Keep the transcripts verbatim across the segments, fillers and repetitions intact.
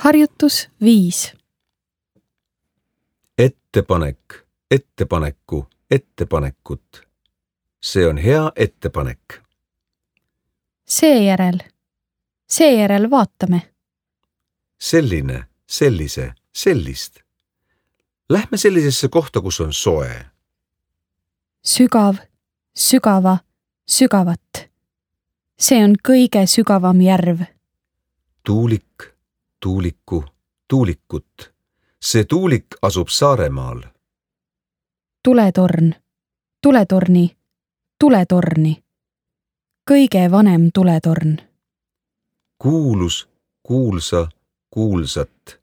Harjutus viis. Ettepanek, ettepaneku, ettepanekut. See on hea ettepanek. Seejärel. Seejärel vaatame. Selline, sellise, sellist. Lähme sellisesse kohta, kus on soe. Sügav, sügava, sügavat. See on kõige sügavam järv. Tuulik, tuuliku, tuulikut. See tuulik asub Saaremaal. Tuletorn, tuletorni, tuletorni. Kõige vanem tuletorn. Kuulus, kuulsa, kuulsat.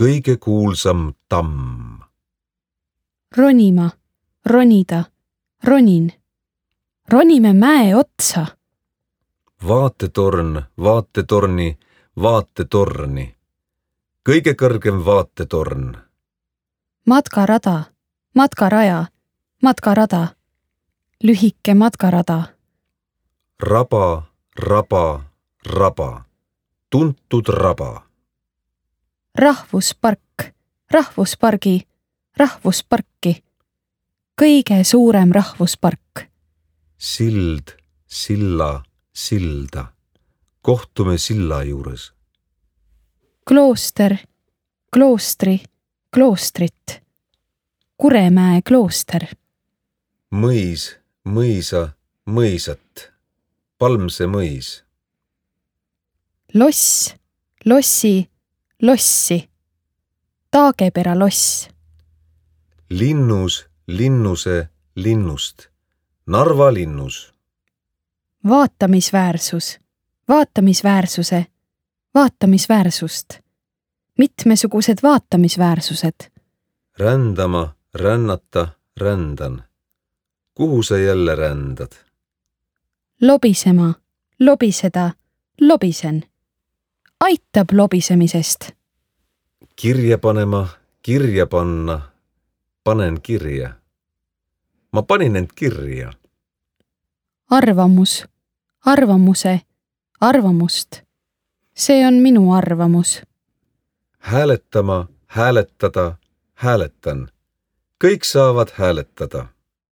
Kõige kuulsam tamm. Ronima, ronida, ronin. Ronime mäe otsa. Vaatetorn, vaatetorni, vaatetorni. Kõige kõrgem vaatetorn. Matkarada, matkaraja, matkarada. Lühike matkarada. Raba, raba, raba. Tuntud raba. Rahvuspark, rahvuspargi, rahvusparki. Kõige suurem rahvuspark. Sild, silla, silda. Kohtume silla juures. Klooster, kloostri, kloostrit. Kuremäe klooster. Mõis, mõisa, mõisat. Palmse mõis. Loss, lossi, lossi. Taagepera loss. Linnus, linnuse, linnust. Narva linnus. Vaatamisväärsus, vaatamisväärsuse, vaatamisväärsust. Mitmesugused vaatamisväärsused. Rändama, rännata, rändan. Kuhu sa jälle rändad? Lobisema, lobiseda, lobisen. Aitab lobisemisest. Kirja panema, kirja panna. Panen kirja. Ma panin end kirja. Arvamus, arvamuse, arvamust. See on minu arvamus. Hääletama, hääletada, hääletan. Kõik saavad hääletada.